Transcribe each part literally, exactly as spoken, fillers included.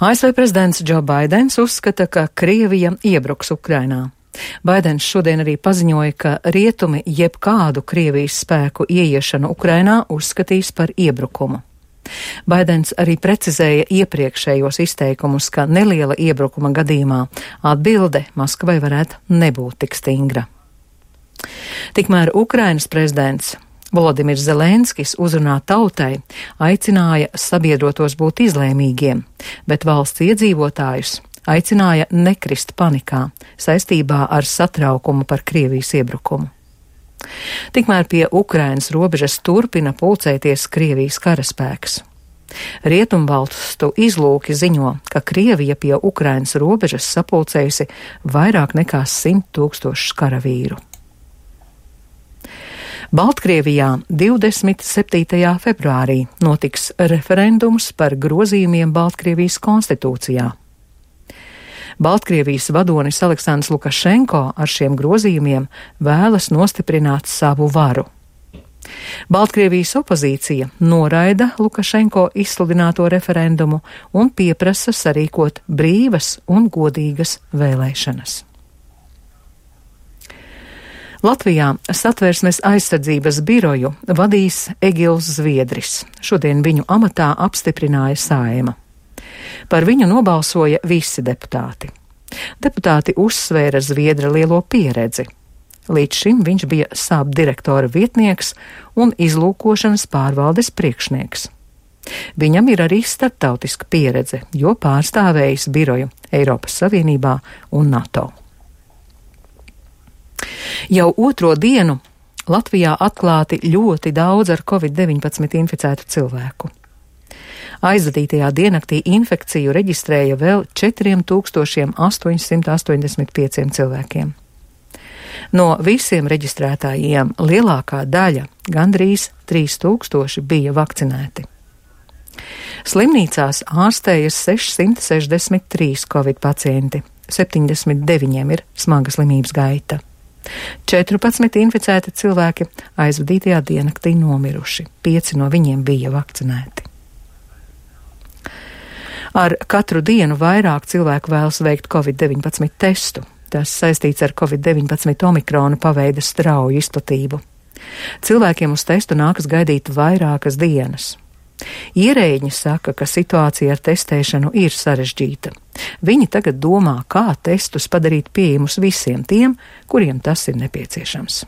A S V prezidents Džo Baidens uzskata, ka Krievija iebruks Ukrainā. Baidens šodien arī paziņoja, ka rietumi jebkādu Krievijas spēku ieiešanu Ukrainā uzskatīs par iebrukumu. Baidens arī precizēja iepriekšējos izteikumus, ka neliela iebrukuma gadījumā atbilde Maskavai varētu nebūt tik stingra. Tikmēr Ukrainas prezidents Volodimirs Zelenskis uzrunā tautai aicināja sabiedrotos būt izlēmīgiem, bet valsts iedzīvotājus aicināja nekrist panikā saistībā ar satraukumu par Krievijas iebrukumu. Tikmēr pie Ukrainas robežas turpina pulcēties Krievijas karaspēks. Rietumvalstu izlūki ziņo, ka Krievija pie Ukrainas robežas sapulcējusi vairāk nekā simt tūkstošus karavīru. Baltkrievijā divdesmit septītajā februārī notiks referendums par grozījumiem Baltkrievijas konstitūcijā. Baltkrievijas vadonis Aleksandrs Lukašenko ar šiem grozījumiem vēlas nostiprināt savu varu. Baltkrievijas opozīcija noraida Lukašenko izsludināto referendumu un pieprasa sarīkot brīvas un godīgas vēlēšanas. Latvijā Satversmes aizsardzības biroju vadīs Egils Zviedris. Šodien viņu amatā apstiprināja Saeima. Par viņu nobalsoja visi deputāti. Deputāti uzsvēra Zviedra lielo pieredzi. Līdz šim viņš bija SAP direktora vietnieks un izlūkošanas pārvaldes priekšnieks. Viņam ir arī starptautiska pieredze, jo pārstāvējis biroju Eiropas Savienībā un NATO. Jau otro dienu Latvijā atklāti ļoti daudz ar covid deviņpadsmit inficētu cilvēku. Aizvadītajā diennaktī infekciju reģistrēja vēl četri tūkstoši astoņsimt astoņdesmit pieci cilvēkiem. No visiem reģistrētājiem lielākā daļa, gandrīz trīs tūkstoši, bija vakcinēti. Slimnīcās ārstējas sešsimt sešdesmit trīs covid pacienti, septiņdesmit deviņiem ir smaga slimības gaita. četrpadsmit inficēti cilvēki aizvadītajā diennaktī nomiruši, pieci no viņiem bija vakcinēti. Ar katru dienu vairāk cilvēku vēlas veikt covid deviņpadsmit testu. Tas saistīts ar covid deviņpadsmit omikrona paveida strauju izplatību. Cilvēkiem uz testu nākas gaidīt vairākas dienas. Ierēģi saka, ka situācija ar testēšanu ir sarežģīta. Viņi tagad domā, kā testus padarīt pieejamus visiem tiem, kuriem tas ir nepieciešams.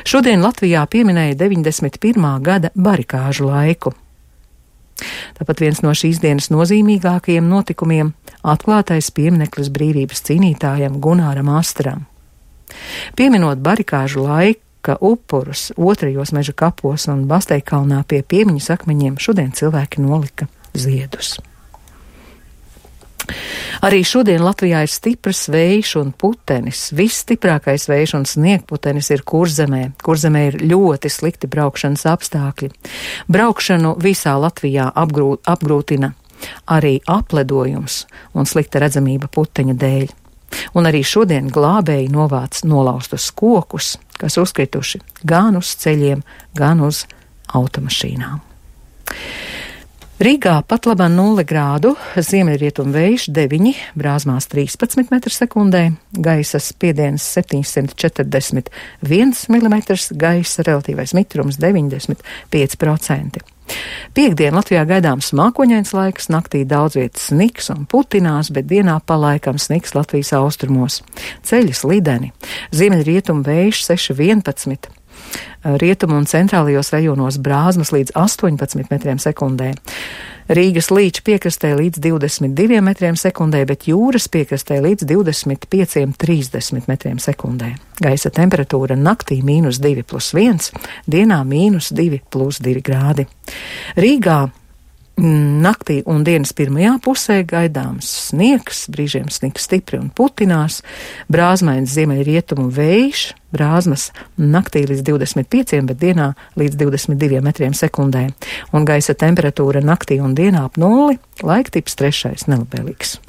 Šodien Latvijā pieminēja deviņdesmit pirmā gada barikāžu laiku. Tāpat viens no šīs dienas nozīmīgākajiem notikumiem – atklātais piemineklis brīvības cīnītājam Gunāram Astram. Pieminot barikāžu laika upurus otrajos meža kapos un Basteikalnā pie piemiņas akmeņiem, šodien cilvēki nolika ziedus. Arī šodien Latvijā ir stiprs vējš un putenis. Visstiprākais vējš un sniegputenis ir Kurzemē. Kurzemē ir ļoti slikti braukšanas apstākļi. Braukšanu visā Latvijā apgrūt, apgrūtina arī apledojums un slikta redzamība puteņa dēļ. Un arī šodien glābēji novāc nolaustus kokus, kas uzkrituši gan uz ceļiem, gan uz automašīnām. Rīgā pat labā nulle grādu, ziemeļrietumu vējš deviņi, Brāzmās trīspadsmit metri sekundē, gaisa spiediens septiņsimt četrdesmit viens milimetrs, gaisa relatīvais mitrums deviņdesmit pieci procenti. Piektdien Latvijā gaidāms mākoņains laiks, naktī daudz vietas sniks un putinās, bet dienā pa laikam sniks Latvijas austrumos. Ceļi slideni, ziemeļrietumu vējš seši vienpadsmit. Rietumu un centrālajos rajonos Brāzmas līdz astoņpadsmit metriem sekundē. Rīgas līča piekrastē līdz divdesmit diviem metriem sekundē, bet jūras piekrastē līdz divdesmit pieciem trīsdesmit metriem sekundē. Gaisa temperatūra naktī mīnus divi plus viens, dienā mīnus divi plus divi grādi. Rīgā naktī un dienas pirmajā pusē gaidāms sniegs, brīžiem sniks stipri un putinās, brāzmains ziemeļrietumu vējš, Brāzmas naktī līdz divdesmit pieciem, bet dienā līdz divdesmit diviem metriem sekundē, un gaisa temperatūra naktī un dienā ap nulli, laiktips trešais nelabēlīgs.